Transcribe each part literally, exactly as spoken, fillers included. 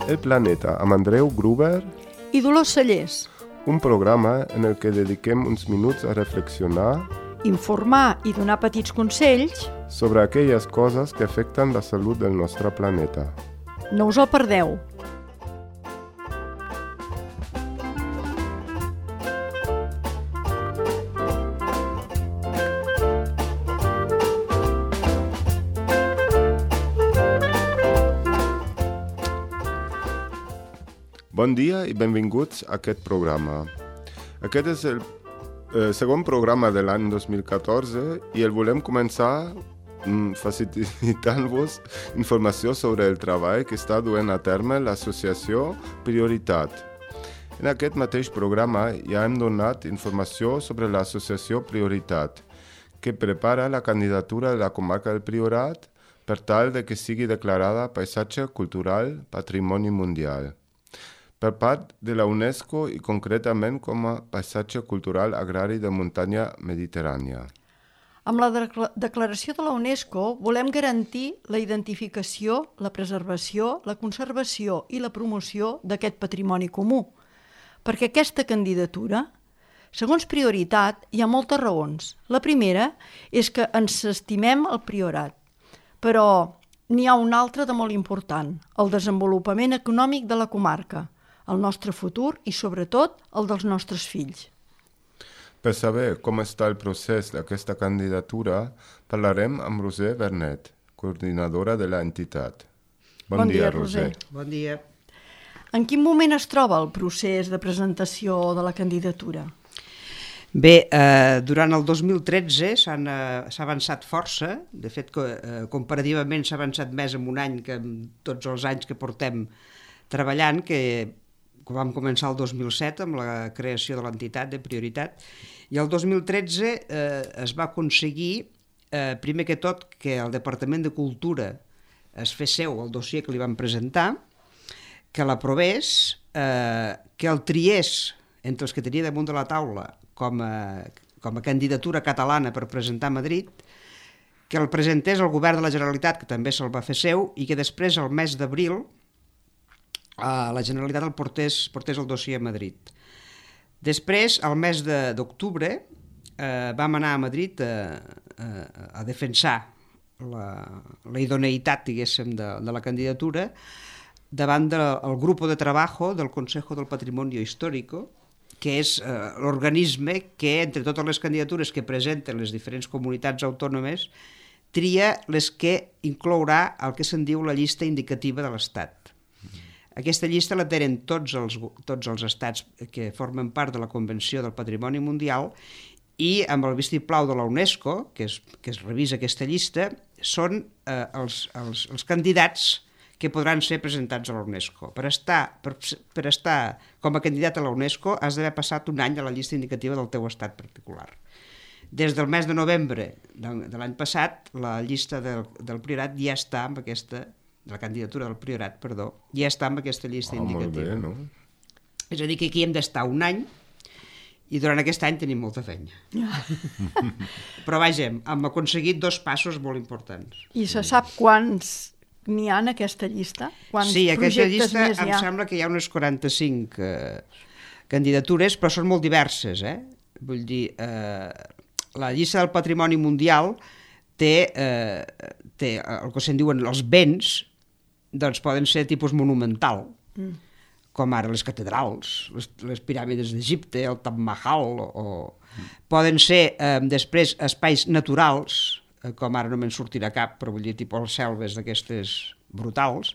El Planeta amb Andreu Gruber i Dolors Cellers. Un programa en el que dediquem uns minuts a reflexionar, informar i donar petits consells sobre aquelles coses que afecten la salut del nostre planeta. No us el perdeu. Bon dia i benvinguts a aquest programa. Aquest és el eh, segon programa de l'any dos mil catorze i el volem començar mm, facilitant-vos informació sobre el treball que està duent a terme l'associació Prioritat. En aquest mateix programa ja hem donat informació sobre l'associació Prioritat, que prepara la candidatura de la comarca del Priorat per tal de que sigui declarada paisatge cultural Patrimoni Mundial per part de la UNESCO i concretament com a paisatge cultural agrari de muntanya mediterrània. Amb la de- declaració de la UNESCO volem garantir la identificació, la preservació, la conservació i la promoció d'aquest patrimoni comú. Perquè aquesta candidatura, segons Prioritat, hi ha moltes raons. La primera és que ens estimem el Priorat, però n'hi ha una altra de molt important, el desenvolupament econòmic de la comarca, el nostre futur i, sobretot, el dels nostres fills. Per saber com està el procés d'aquesta candidatura, parlarem amb Roser Bernet, coordinadora de l'entitat. Bon, Bon dia, dia, Roser. Roser. Bon dia. En quin moment es troba el procés de presentació de la candidatura? Bé, eh, durant el dos mil tretze s'han, eh, s'ha avançat força. De fet, co- eh, comparativament s'ha avançat més en un any que en tots els anys que portem treballant, que que vam començar el dos mil set amb la creació de l'entitat de Prioritat, i el dos mil tretze eh, es va aconseguir, eh, primer que tot, que el Departament de Cultura es fes seu el dossier que li van presentar, que l'aprovés, eh, que el triés entre els que tenia damunt de la taula com a, com a candidatura catalana per presentar a Madrid, que el presentés al govern de la Generalitat, que també se'l va fer seu, i que després, al mes d'abril, Uh, la Generalitat el portés, portés el dossier a Madrid. Després, al mes de, d'octubre, uh, vam anar a Madrid a, a, a defensar la, la idoneïtat, diguéssim, de, de la candidatura davant del grup de treball del Consejo del Patrimonio Histórico, que és uh, l'organisme que, entre totes les candidatures que presenten les diferents comunitats autònomes, tria les que inclourà el que se'n diu la llista indicativa de l'Estat. Aquesta llista la tenen tots els, tots els estats que formen part de la Convenció del Patrimoni Mundial i amb el vistiplau de la UNESCO, que es, que es revisa aquesta llista, són eh, els, els, els candidats que podran ser presentats a la UNESCO. Per estar, per, per estar com a candidat a la UNESCO has d'haver passat un any a la llista indicativa del teu estat particular. Des del mes de novembre de, de l'any passat, la llista del, del Priorat ja està amb aquesta de la candidatura del Priorat, perdó, ja està amb aquesta llista oh, indicativa. Molt bé, no? És a dir, que aquí hem d'estar un any i durant aquest any tenim molta feina. Però vaja, hem aconseguit dos passos molt importants. I se sap quants n'hi ha en aquesta llista? Quants sí, aquesta projectes llista més em hi ha? sembla que hi ha unes quaranta-cinc eh, candidatures, però són molt diverses, eh? Vull dir, eh, la llista del Patrimoni Mundial té, eh, té el que se'n diuen els béns, doncs poden ser tipus monumental, mm. com ara les catedrals, les, les piràmides d'Egipte, el Taj Mahal, o, mm. poden ser eh, després espais naturals, eh, com ara no me'n sortirà cap, però vull dir, tipus les selves d'aquestes brutals,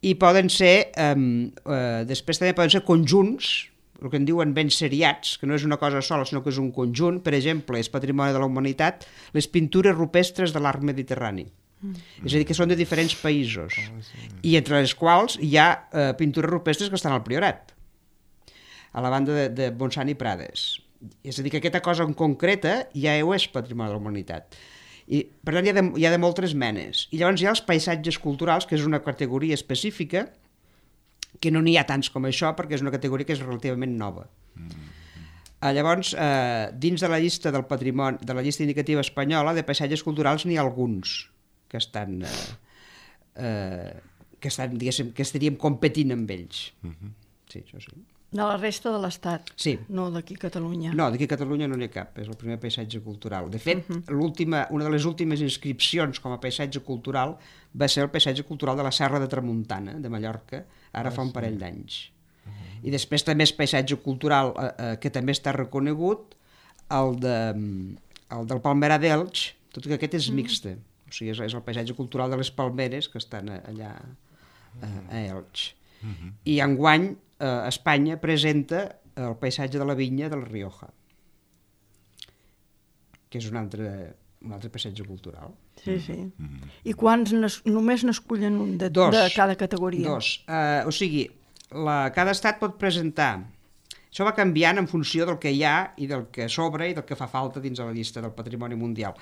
i poden ser, eh, eh, després també poden ser conjunts, el que en diuen béns seriats, que no és una cosa sola, sinó que és un conjunt. Per exemple, és Patrimoni de la Humanitat, les pintures rupestres de l'art mediterrani. Mm. És a dir, que són de diferents països, oh, sí. I entre les quals hi ha eh, pintures rupestres que estan al Priorat, a la banda de, de Montsant i Prades. És a dir, que aquesta cosa en concreta ja ho és Patrimoni de la Humanitat. I, per tant, hi ha, de, hi ha de moltes menes. I llavors hi ha els paisatges culturals, que és una categoria específica, que no n'hi ha tants com això, perquè és una categoria que és relativament nova. Mm. Eh, llavors, eh, dins de la llista del patrimoni, de la llista indicativa espanyola de paisatges culturals n'hi ha alguns que estan, eh, eh, que, estan, diguéssim, que estaríem competint amb ells. Uh-huh. Sí, això sí. De la resta de l'Estat, sí. No d'aquí a Catalunya. No, d'aquí a Catalunya no n'hi ha cap, és el primer paisatge cultural. De fet, uh-huh. l'última, una de les últimes inscripcions com a paisatge cultural va ser el paisatge cultural de la Serra de Tramuntana, de Mallorca, ara ah, fa un parell sí. d'anys. Uh-huh. I després també és paisatge cultural eh, eh, que també està reconegut, el, de, el del Palmerar d'Elx, tot i que aquest és mixte. Uh-huh. O sigui, és, és el paisatge cultural de les palmeres que estan allà eh, a Elx. Uh-huh. I enguany eh, Espanya presenta el paisatge de la vinya de la Rioja, que és un altre, un altre paisatge cultural. Sí, sí. Uh-huh. I quants només n'escullen un de, dos, de cada categoria? Dos. Uh, o sigui, la, cada estat pot presentar. Això va canviant en funció del que hi ha i del que sobra i del que fa falta dins de la llista del Patrimoni Mundial.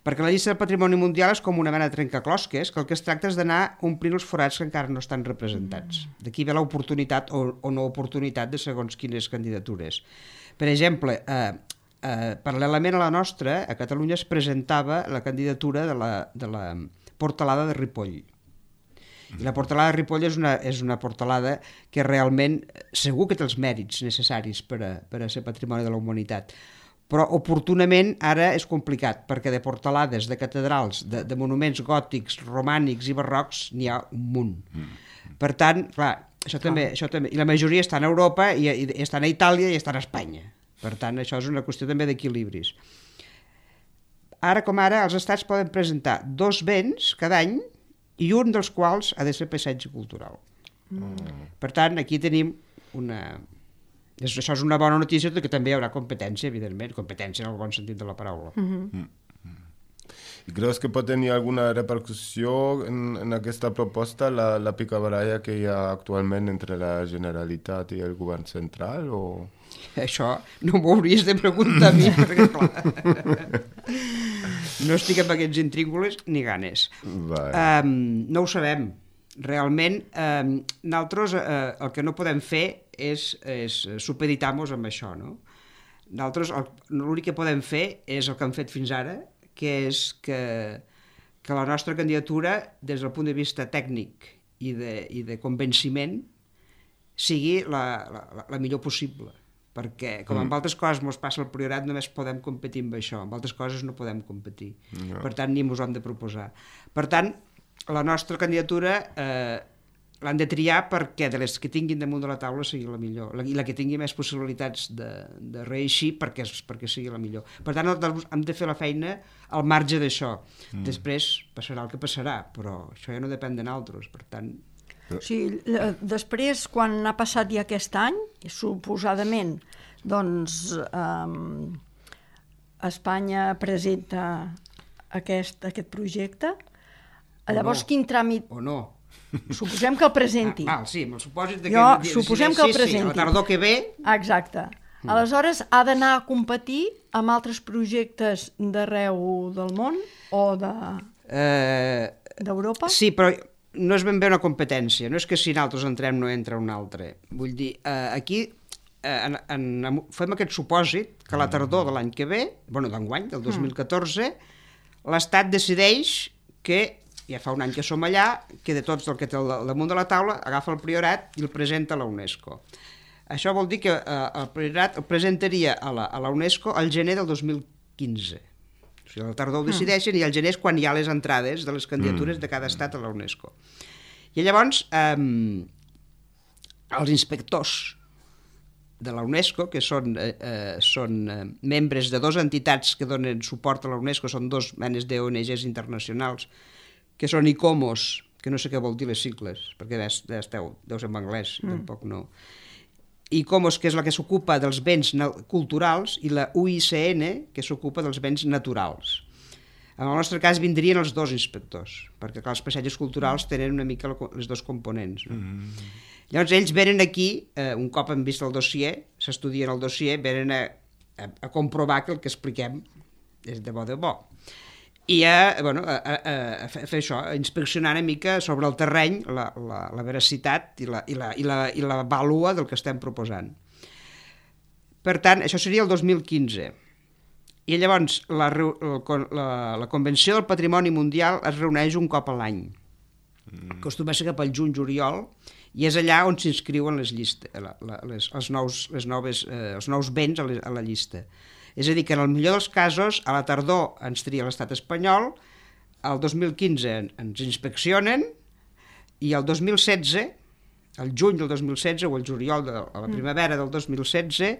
Perquè la llista del Patrimoni Mundial és com una mena de trencaclosques, que el que es tracta és d'anar omplint els forats que encara no estan representats. D'aquí ve l'oportunitat o, o no oportunitat de segons quines candidatures. Per exemple, eh, eh, paral·lelament a la nostra, a Catalunya es presentava la candidatura de la, de la Portalada de Ripoll. I la Portalada de Ripoll és una, és una portalada que realment segur que té els mèrits necessaris per a, per a ser patrimoni de la humanitat. Però oportunament ara és complicat, perquè de portalades, de catedrals, de, de monuments gòtics, romànics i barrocs n'hi ha un munt. Per tant, clar, això també, això també, i la majoria estan a Europa, i, i estan a Itàlia i estan a Espanya. Per tant, això és una qüestió també d'equilibris. Ara com ara, els estats poden presentar dos béns cada any i un dels quals ha de ser paisatge cultural. Mm. Per tant, aquí tenim una... Això és una bona notícia, tot i que també hi haurà competència, evidentment, competència en el bon sentit de la paraula. Mm-hmm. Mm. I creus que pot tenir alguna repercussió en, en aquesta proposta, la, la picabaralla que hi ha actualment entre la Generalitat i el govern central? O... Això no m'ho hauries de preguntar a mi, perquè clar... No estic amb aquests intríngules ni ganes. Um, no ho sabem. Realment, um, nosaltres uh, el que no podem fer és, és supeditar-nos amb això, no? Nosaltres l'únic que podem fer és el que hem fet fins ara, que és que, que la nostra candidatura, des del punt de vista tècnic i de, i de convenciment, sigui la, la, la millor possible. Perquè, com en altres coses ens passa al Priorat, només podem competir amb això, en altres coses no podem competir. No. Per tant, ni ens ho hem de proposar. Per tant, la nostra candidatura eh, l'han de triar perquè de les que tinguin damunt de la taula sigui la millor, i la que tingui més possibilitats de, de reeixir perquè, perquè sigui la millor. Per tant, hem de fer la feina al marge d'això. Mm. Després passarà el que passarà, però això ja no depèn de nosaltres, per tant... O sigui, després, quan ha passat ja aquest any, suposadament, doncs eh, Espanya presenta aquest, aquest projecte, llavors no. Quin tràmit... O no. Suposem que el presenti. Ah, ah sí, amb el supòsit de que... Jo, suposem que el presenti. Sí, sí, la tardor que ve... Exacte. Mm. Aleshores, ha d'anar a competir amb altres projectes d'arreu del món o de... Eh, d'Europa? Sí, però... no és ben bé una competència, no és que si nosaltres entrem no entra un altre. Vull dir, eh, aquí eh, en, en, fem aquest supòsit que la tardor de l'any que ve, bueno, d'enguany, del dos mil catorze, l'Estat decideix que, ja fa un any que som allà, que de tots el que té al damunt de la taula agafa el Priorat i el presenta a la UNESCO. Això vol dir que eh, el Priorat el presentaria a la, a la UNESCO al gener del dos mil quinze. O sigui, la tardor ho decideixen i al gener és quan hi ha les entrades de les candidatures de cada estat a la UNESCO. I llavors, eh, els inspectors de la UNESCO, que són, eh, són eh, membres de dues entitats que donen suport a la UNESCO, són dos menes d'O N Ges internacionals, que són ICOMOS, que no sé què vol dir les sigles, perquè esteu, deu ser en anglès, mm. tampoc no... ICOMOS, que és la que s'ocupa dels béns culturals, i la U I C N, que s'ocupa dels béns naturals. En el nostre cas vindrien els dos inspectors, perquè clar, els paisatges culturals tenen una mica les dos components. No? Mm. Llavors ells venen aquí, eh, un cop han vist el dossier, s'estudien el dossier, venen a, a, a comprovar que el que expliquem és de bo de bo. I a, bueno, a, a, a fer això, a inspeccionar una mica sobre el terreny la, la, la veracitat i la, i, la, i, la, i la vàlua del que estem proposant. Per tant, això seria el dos mil quinze. I llavors la, la, la Convenció del Patrimoni Mundial es reuneix un cop a l'any. Mm. Acostuma a ser cap al juny-juliol, i és allà on s'inscriuen les llistes, la, la, les, els, nous, les noves, eh, els nous béns a, les, a la llista. És a dir, que en el millor dels casos, a la tardor ens tria l'estat espanyol, el dos mil quinze ens inspeccionen, i el dos mil setze, el juny del dos mil setze o el juliol de la primavera del dos mil setze,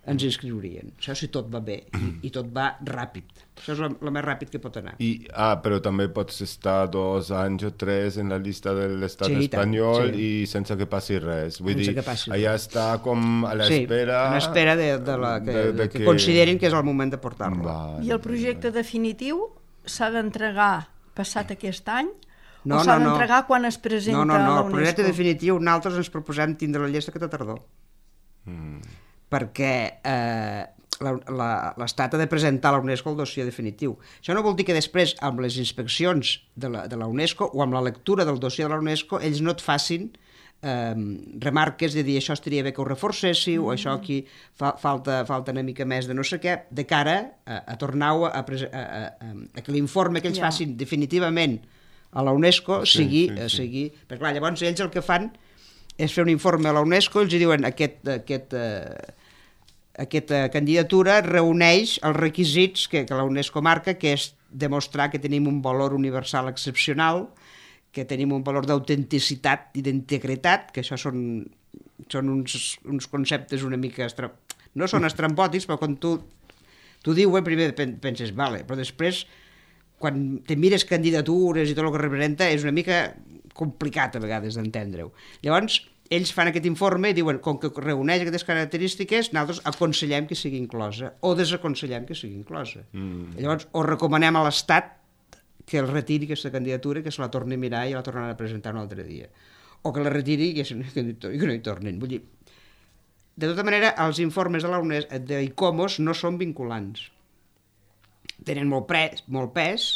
ens inscriurien. Això si tot va bé, i, i tot va ràpid. Això és el més ràpid que pot anar. I, ah, però també pots estar dos anys o tres en la llista de l'estat sí, espanyol tant, sí. i sense que passi res. Vull sense dir, que passi allà res. està com a l'espera... Sí, a l'espera de, de la, que, de, de que... que considerin que és el moment de portar-lo. Vale, I el projecte vale. definitiu s'ha d'entregar passat aquest any no, o s'ha no, d'entregar no. quan es presenta no, no, no. a la El UNESCO? projecte definitiu nosaltres ens proposem tindre la llista aquesta tardor. Mm. Perquè eh, l'Estat ha de presentar a la UNESCO el dossier definitiu. Això no vol dir que després, amb les inspeccions de la, de la UNESCO o amb la lectura del dossier de la UNESCO, ells no et facin eh, remarques de dir això estaria bé que ho reforcéssiu, mm. o això aquí fa, falta, falta una mica més de no sé què, de cara a, a tornar a, a, a, a, a que l'informe que ells yeah. facin definitivament a la UNESCO sí, sigui, sí, sí. sigui... Perquè clar, llavors ells el que fan és fer un informe a la UNESCO, ells diuen aquest, aquest, eh, aquesta candidatura reuneix els requisits que, que la UNESCO marca, que és demostrar que tenim un valor universal excepcional, que tenim un valor d'autenticitat i d'integritat, que això són, són uns, uns conceptes una mica... Estra... no són estrambòtics, però quan tu, tu dius, primer penses, vale, però després, quan te mires candidatures i tot el que representa, és una mica complicat a vegades d'entendre-ho. Llavors, ells fan aquest informe i diuen, com que reuneix aquestes característiques, nosaltres aconsellem que sigui inclosa o desaconsellem que sigui inclosa. Mm. Llavors, o recomanem a l'Estat que el retiri aquesta candidatura, que se la torni a mirar i la tornaran a presentar un altre dia. O que la retiri i que, que no hi tornin. Vull dir, de tota manera, els informes de la UNESCO, de ICOMOS no són vinculants. Tenen molt, pre, molt pes,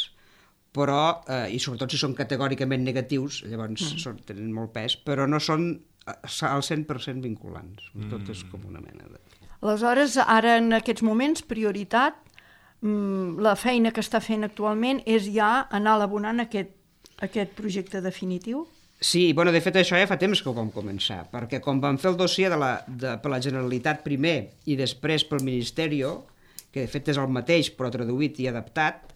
però, eh, i sobretot si són categòricament negatius, llavors mm. són, tenen molt pes, però no són al cent per cent vinculants. Mm. Tot és com una mena de... Aleshores, ara en aquests moments, prioritat, la feina que està fent actualment és ja anar elaborant aquest, aquest projecte definitiu? Sí, bueno, de fet això ja fa temps que ho vam començar, perquè com vam fer el dossier de la, de, per la Generalitat primer i després pel Ministeri, que de fet és el mateix però traduït i adaptat,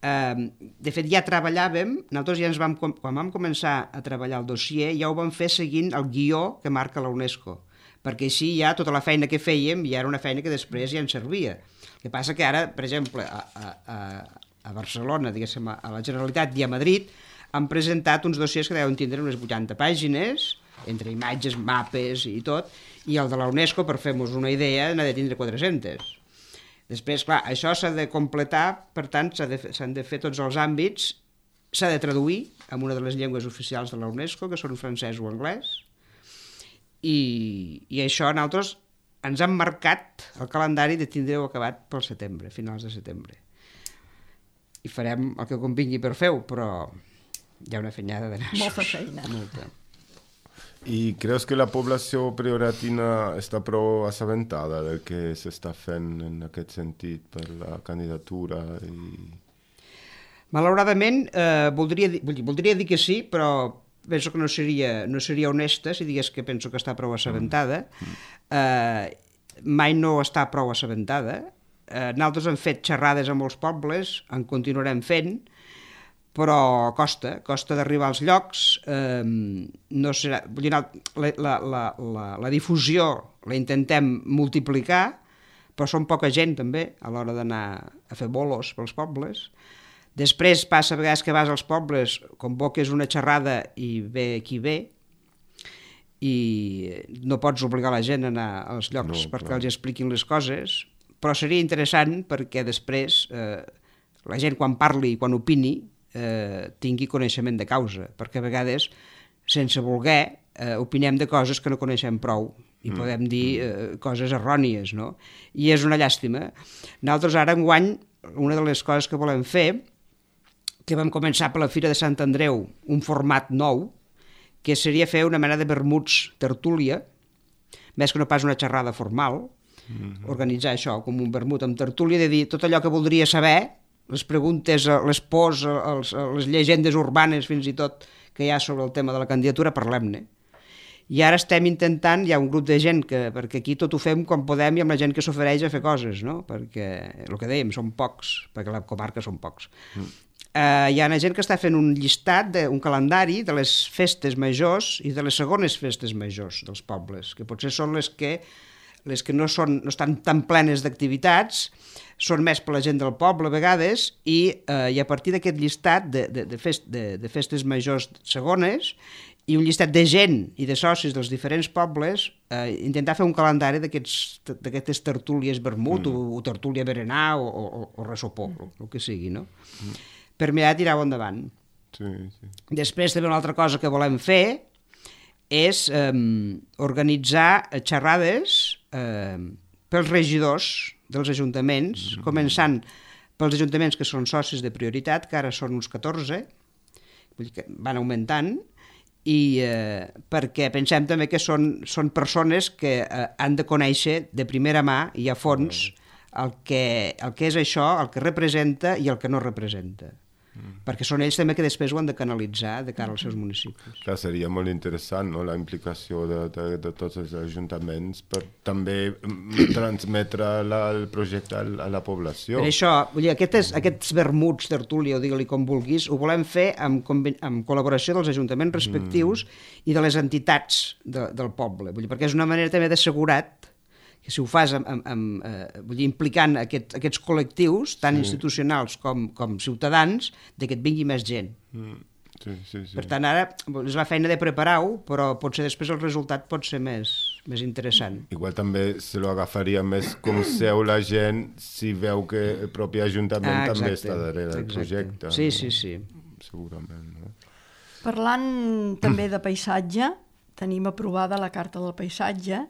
eh, de fet ja treballàvem, nosaltres ja ens vam, quan vam començar a treballar el dossier ja ho vam fer seguint el guió que marca la UNESCO, perquè així ja tota la feina que fèiem ja era una feina que després ja ens servia. El que passa que ara, per exemple, a, a, a Barcelona, diguéssim, a la Generalitat i a Madrid, han presentat uns dossiers que deuen tindre unes vuitanta pàgines, entre imatges, mapes i tot, i el de la UNESCO, per fer-nos una idea, n'ha de tindre quatre-centes. Després, clar, això s'ha de completar, per tant, s'han de, s'han de fer tots els àmbits, s'ha de traduir en una de les llengües oficials de la UNESCO, que són francès o anglès, i, i això nosaltres ens han marcat el calendari de tindre-ho acabat pel setembre, finals de setembre. I farem el que convingui per fer-ho, però hi ha una fenyada d'anar. Molta feina. Molta. I creus que la població prioratina està prou assabentada del que s'està fent en aquest sentit per la candidatura? I... Malauradament, eh, voldria, dir, voldria dir que sí, però penso que no seria, no seria honesta si digués que penso que està prou assabentada. Eh, mai no està prou assabentada. Eh, nosaltres hem fet xerrades a molts pobles, en continuarem fent, però costa, costa d'arribar als llocs, eh, no serà, vull dir, la, la, la, la, la difusió la intentem multiplicar, però són poca gent també a l'hora d'anar a fer bolos pels pobles. Després passa a vegades que vas als pobles, convoques una xerrada i ve qui ve, i no pots obligar la gent a anar als llocs no, perquè clar. Els expliquin les coses, però seria interessant perquè després eh, la gent quan parli i quan opini Eh, tingui coneixement de causa, perquè a vegades, sense voler, eh, opinem de coses que no coneixem prou i mm. podem dir eh, coses errònies, no? I és una llàstima. Nosaltres ara enguany, una de les coses que volem fer, que vam començar per la Fira de Sant Andreu, un format nou, que seria fer una mena de vermuts tertúlia, més que no pas una xerrada formal, mm-hmm. organitzar això com un vermut amb tertúlia, de dir tot allò que voldria saber les preguntes, les pors, els, les llegendes urbanes fins i tot que hi ha sobre el tema de la candidatura, parlem-ne. I ara estem intentant, hi ha un grup de gent, que, perquè aquí tot ho fem quan podem i amb la gent que s'ofereix a fer coses, no? Perquè el que dèiem, són pocs, perquè la comarca són pocs. Mm. Uh, hi ha gent que està fent un llistat, de, un calendari de les festes majors i de les segones festes majors dels pobles, que potser són les que, les que no, són, no estan tan plenes d'activitats, són més per la gent del poble a vegades, i, uh, i a partir d'aquest llistat de, de, de, fest, de, de festes majors segones, i un llistat de gent i de socis dels diferents pobles, eh, intentar fer un calendari d'aquestes tertúlies vermut, mm. o, o tertúlia berenar, o, o, o ressopó, mm. el que sigui, no? Mm. Per mirar de tirar-ho endavant. Sí, sí. Després també una altra cosa que volem fer és eh, organitzar xerrades eh, pels regidors dels ajuntaments, mm. començant pels ajuntaments que són socis de prioritat, que ara són uns catorze, vull dir que van augmentant, i eh, perquè pensem també que són, són persones que eh, han de conèixer de primera mà i a fons el que, el que és això, el que representa i el que no representa. Mm. Perquè són ells també que després ho han de canalitzar de cara als seus municipis. Clar, seria molt interessant, no?, la implicació de, de, de tots els ajuntaments per també transmetre la, el projecte a, a la població. Per això, vull dir, aquests, aquests vermuts, tertúlia, o digue-li com vulguis, ho volem fer amb, amb col·laboració dels ajuntaments respectius mm. i de les entitats de, del poble, vull dir, perquè és una manera també d'assegurat que si ho fas amb, amb, amb, eh, vull dir, implicant aquest, aquests col·lectius, tant sí. institucionals com, com ciutadans, de que et vingui més gent. Mm. Sí, sí, sí. Per tant, ara és la feina de preparar-ho, però potser després el resultat pot ser més, més interessant. Igual també se lo agafaria més com seu la gent si veu que el propi ajuntament ah, també està darrere del projecte. Sí, no? sí, sí. Segurament, no? Parlant també de paisatge, tenim aprovada la Carta del Paisatge.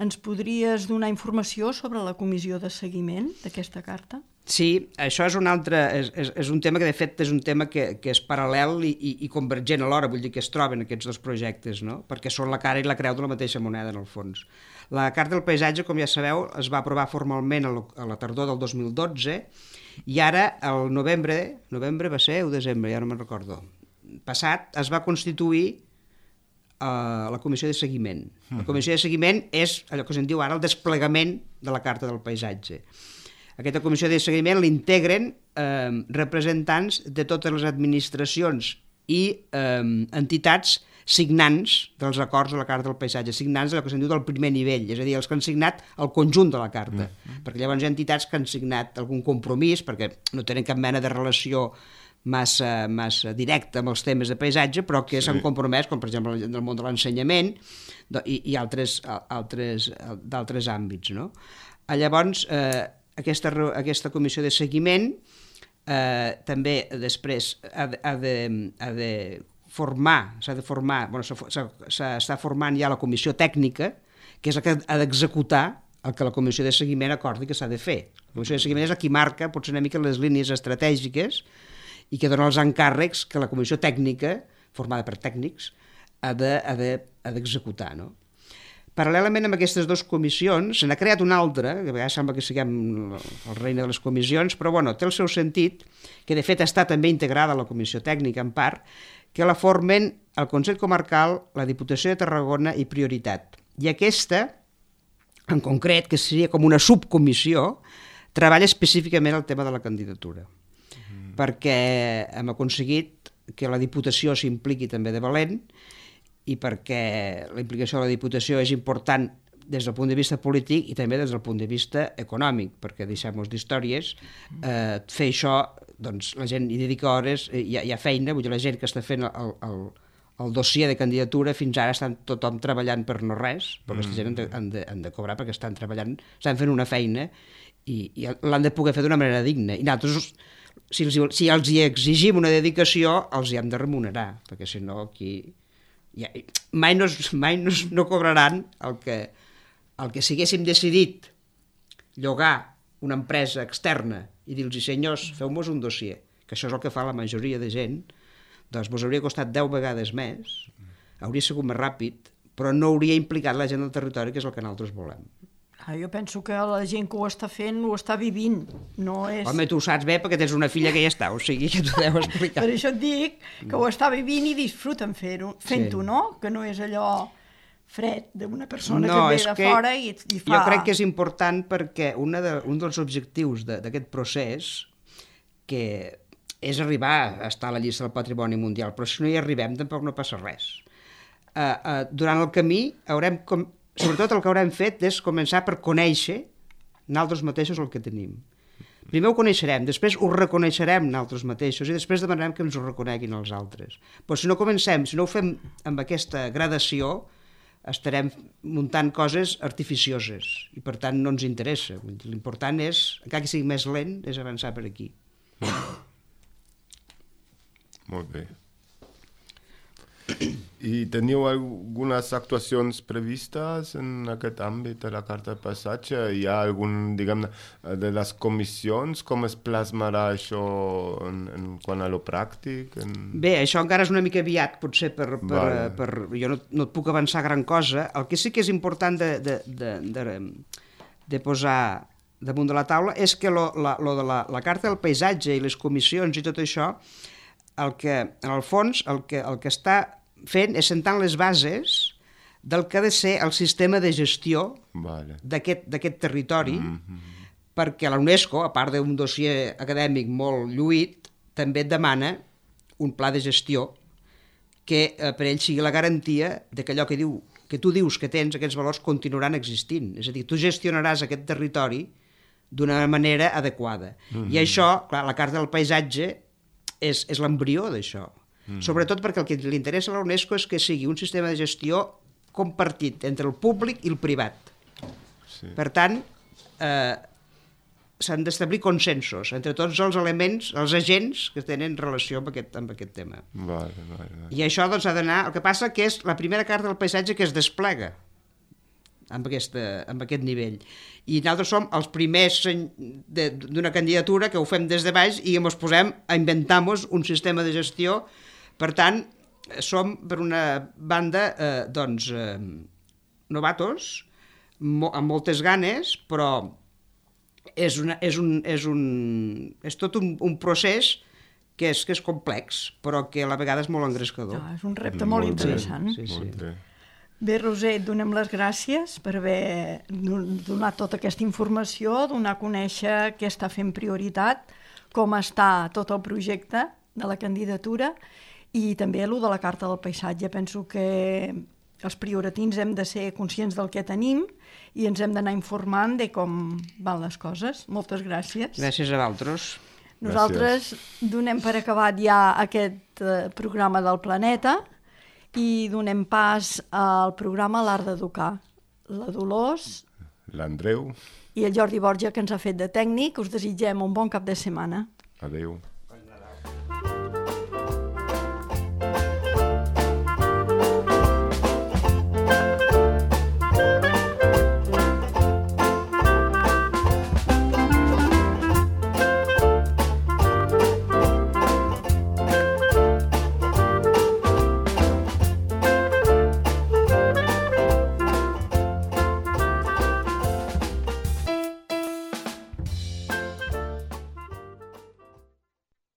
Ens podries donar informació sobre la comissió de seguiment d'aquesta carta? Sí, això és un altre, és, és, és un tema que de fet és un tema que, que és paral·lel i, i, i convergent alhora, vull dir que es troben aquests dos projectes, no? Perquè són la cara i la creu de la mateixa moneda en el fons. La Carta del Paisatge, com ja sabeu, es va aprovar formalment a la tardor del dos mil dotze i ara, el novembre, novembre va ser o desembre, ja no me'n recordo, passat, es va constituir a la comissió de seguiment. La comissió de seguiment és allò que se'n diu ara el desplegament de la Carta del Paisatge. Aquesta comissió de seguiment l'integren eh, representants de totes les administracions i eh, entitats signants dels acords de la Carta del Paisatge, signants d'allò que se'n diu del primer nivell, és a dir, els que han signat el conjunt de la Carta, mm. perquè llavors hi ha entitats que han signat algun compromís, perquè no tenen cap mena de relació massa, massa directa amb els temes de paisatge, però que s'han sí. compromès, com per exemple en el món de l'ensenyament i, i altres, altres, d'altres àmbits. No? Llavors, eh, aquesta, aquesta comissió de seguiment eh, també després ha de, ha de, ha de formar, s'ha de formar, bueno, s'està formant ja la comissió tècnica, que és la que ha d'executar el que la comissió de seguiment acordi que s'ha de fer. La comissió de seguiment és la que marca potser una mica les línies estratègiques i que dona els encàrrecs que la comissió tècnica, formada per tècnics, ha d'executar. De, ha de, no? Paral·lelament amb aquestes dues comissions, se n'ha creat una altra, que a vegades sembla que siguem el reina de les comissions, però bueno, té el seu sentit, que de fet està també integrada a la comissió tècnica en part, que la formen el Consell Comarcal, la Diputació de Tarragona i Prioritat. I aquesta, en concret, que seria com una subcomissió, treballa específicament el tema de la candidatura. Perquè hem aconseguit que la Diputació s'impliqui també de valent i perquè la implicació de la Diputació és important des del punt de vista polític i també des del punt de vista econòmic, perquè deixem-nos d'històries, eh, fer això, doncs la gent hi dedica hores, eh, hi, ha, hi ha feina, vull dir, la gent que està fent el, el, el dossier de candidatura fins ara estan tothom treballant per no res, però aquesta gent han de, han de, han de cobrar perquè estan treballant, estan fent una feina i, i l'han de poder fer d'una manera digna. I nosaltres, si els, si els hi exigim una dedicació, els hi hem de remunerar, perquè si no aquí ja, mai, no, mai no, no cobraran el que, el que si haguéssim decidit llogar una empresa externa i dir-los, senyors, feu-nos un dossier, que això és el que fa la majoria de gent, doncs vos hauria costat deu vegades més, hauria sigut més ràpid, però no hauria implicat la gent del territori, que és el que nosaltres volem. Ah, jo penso que la gent que ho està fent ho està vivint, no és... Home, tu ho saps bé perquè tens una filla que hi està, o sigui que t'ho deu explicar. Per això et dic que ho està vivint i disfruten fer-ho, fent-ho, Sí. no? Que no és allò fred d'una persona No, que és ve de que fora i, i fa... Jo crec que és important perquè una de, un dels objectius de- d'aquest procés, que és arribar a estar a la llista del Patrimoni Mundial, però si no hi arribem tampoc no passa res. Uh, uh, durant el camí haurem... Com... Sobretot el que haurem fet és començar per conèixer nosaltres mateixos el que tenim. Primer ho coneixerem, després ho reconeixerem nosaltres mateixos i després demanarem que ens ho reconeguin els altres. Però si no comencem, si no ho fem amb aquesta gradació, estarem muntant coses artificioses i per tant no ens interessa. L'important és, encara que sigui més lent, és avançar per aquí. Molt bé. I teniu algunes actuacions previstes en aquest àmbit de la carta de passatge? Hi ha algun, diguem-ne, de les comissions, com es plasmarà això en, en quant a lo pràctic? En... Bé, això encara és una mica aviat, potser, per, per, Vale. per, jo no, no et puc avançar gran cosa. El que sí que és important de, de, de, de, de posar damunt de la taula és que lo, la, lo de la, la carta del paisatge i les comissions i tot això, el que, en el fons, el que, el que està fent és sentant les bases del que ha de ser el sistema de gestió Vale. d'aquest d'aquest territori, Mm-hmm. perquè la UNESCO, a part d'un dossier acadèmic molt lluït, també et demana un pla de gestió que eh, per ell sigui la garantia de que allò que, diu, que tu dius que tens, aquests valors, continuaran existint. És a dir, tu gestionaràs aquest territori d'una manera adequada. Mm-hmm. I això, clar, la carta del paisatge és, és l'embrió d'això. Mm. Sobretot perquè el que li interessa a la UNESCO és que sigui un sistema de gestió compartit entre el públic i el privat. Sí. Per tant, eh, s'han d'establir consensos entre tots els elements, els agents que tenen relació amb aquest, amb aquest tema. Vale, vale, vale. I això doncs, ha d'anar... El que passa que és la primera carta del paisatge que es desplega amb, aquesta, amb aquest nivell. I nosaltres som els primers d'una candidatura que ho fem des de baix i ens posem a inventar-nos un sistema de gestió. Per tant, som, per una banda, eh, doncs, eh, novatos, mo amb moltes ganes, però és, una, és, un, és, un, és tot un, un procés que és, que és complex, però que a la vegada és molt engrescador. Ah, és un repte molt, molt interessant. Sí, sí. Molt bé. Bé, Roser, et donem les gràcies per haver donat tota aquesta informació, donar a conèixer què està fent prioritat, com està tot el projecte de la candidatura i també el de la carta del paisatge. Penso que els prioratins hem de ser conscients del que tenim i ens hem d'anar informant de com van les coses. Moltes gràcies. Gràcies a vosaltres. Nosaltres donem per acabat ja aquest eh, programa del Planeta i donem pas al programa L'Art d'Educar. La Dolors, L'Andreu, i el Jordi Borja, que ens ha fet de tècnic. Us desitgem un bon cap de setmana. adeu.